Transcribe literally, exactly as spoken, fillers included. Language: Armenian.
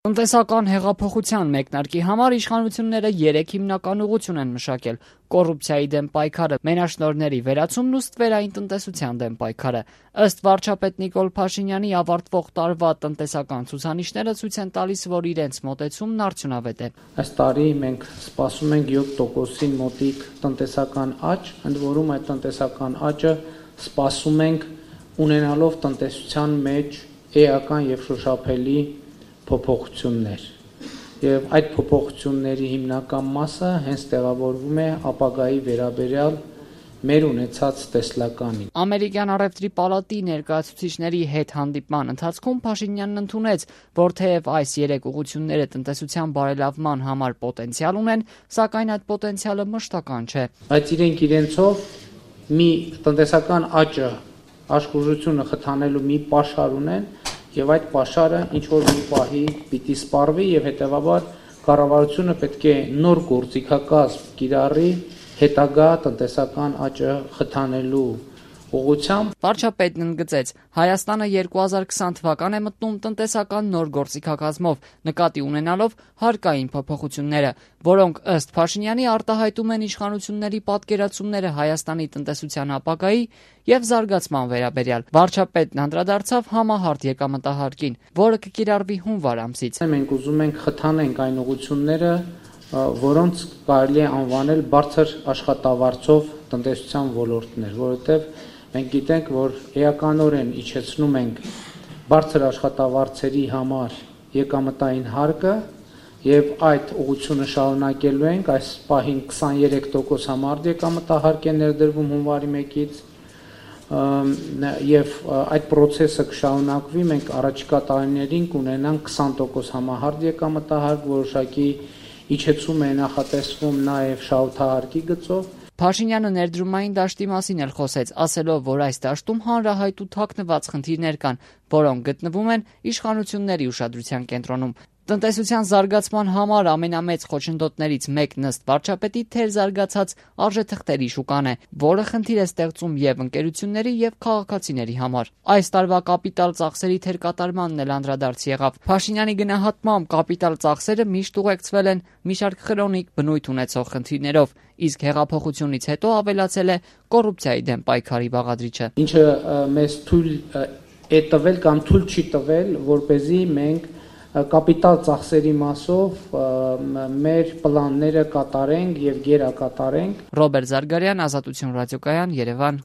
Տնտեսական հեղափոխության մեկնարկի համար իշխանությունները երեք հիմնական ուղղություն են մշակել՝ կոռուպցիայի դեմ պայքարը, մենաշնորհների վերացումն ու ստվերային տնտեսության դեմ պայքարը։ Ըստ վարչապետ Նիկոլ Փաշինյանի, ավարտվող տարվա տնտեսական ցուցանիշները ցույց են տալիս, որ իրենց մոտեցումն արդյունավետ է։ Այս տարի մենք սպասում ենք յոթ տոկոսին մոտիկ տնտեսական աճ, ընդ որում այդ տնտեսական աճը սպասում ենք ունենալով տնտեսության մեջ էական եւ շոշափելի փոփոխություններ, եւ այդ փոփոխությունների հիմնական մասը հենց տեղավորվում է ապագայի վերաբերյալ մեր ունեցած տեսլականին։ Ամերիկյան առևտրի պալատի ներկայացուցիչների հետ հանդիպման ընթացքում Փաշինյանն ընդունեց, որ թեև այս երեք ուղղությունները տնտեսության բարելավման համար պոտենցիալ ունեն, սակայն այդ պոտենցիալը մշտական չէ։ Բայց իրենք իրենցով մի տնտեսական աճը, աշխուժությունը խթանելու մի պաշար ունեն, եւ այդ պաշարը ինչ որ մի պահի պիտի սպառվի եւ հետեւաբար կառավարությունը պետք է նոր գործիքակազմ կիրառի հետագա տնտեսական աճը խթանելու ուղղությամբ։ Վարչապետն ընդգծեց, Հայաստանը երկու հազար քսան թվական է մտնում տնտեսական նոր գործիքակազմով, նկատի ունենալով հարկային փոփոխությունները, որոնք ըստ Փաշինյանի արտահայտում են իշխանությունների պատկերացումները Հայաստանի տնտեսության ապագայի եւ զարգացման վերաբերյալ։ Վարչապետն անդրադարձավ համահարթ եկամտահարկին, որը կկիրառվի հունվար ամսից։ Մենք ուզում ենք խթանենք այն ուղղությունները, որոնց կարելի է անվանել բարձր աշխատավարձով տնտեսության ոլորտներ, որովհետև մենք գիտենք, որ էականորեն իջեցնում ենք բարձր աշխատավարձերի համար եկամտային հարկը եւ այդ ուղղությունը շարունակելու ենք, այս պահին քսաներեք տոկոս համարդ եկամտահարկ է ներդրվում հունվարի մեկից եւ այդ process-ը կշարունակվի, մենք առաջիկա տարիներին կունենանք քսան տոկոս համահարկ եկամտահարկ, որոշակի իջեցում է նախատեսվում նաեւ շահութահարկի գծով։ Փաշինյանը ներդրումային դաշտի մասին էլ խոսեց, ասելով, որ այս դաշտում հանրահայտ ու թաքնված խնդիրներ կան, որոնք գտնվում են իշխանությունների ուշադրության կենտրոնում։ Տնտեսության զարգացման համար ամենամեծ խոչընդոտներից մեկն ըստ վարչապետի թերզարգացած արժեթղթերի շուկան է, որը խնդիր է ստեղծում եւ ընկերությունների եւ քաղաքացիների համար։ Այս տարվա կապիտալ ծախսերի թերկատարմանն էլ անդրադարձ եղավ։ Փաշինյանի գնահատմամբ կապիտալ ծախսերը միշտ ուղեկցվել են մի շարք քրոնիկ բնույթ ունեցող խնդիրներով, իսկ հեղափոխությունից հետո ավելացել է կոռուպցիայի դեմ պայքարի բաղադրիչը։ Ինչը մեզ թույլ է տվել կամ թույլ չի տվել, որպեսզի մենք կապիտալ ծախսերի մասով մեր պլանները կատարենք եւ գերակատարենք։ Ռոբերտ Զարգարյան, Ազատություն ռադիոկայան, Երևան։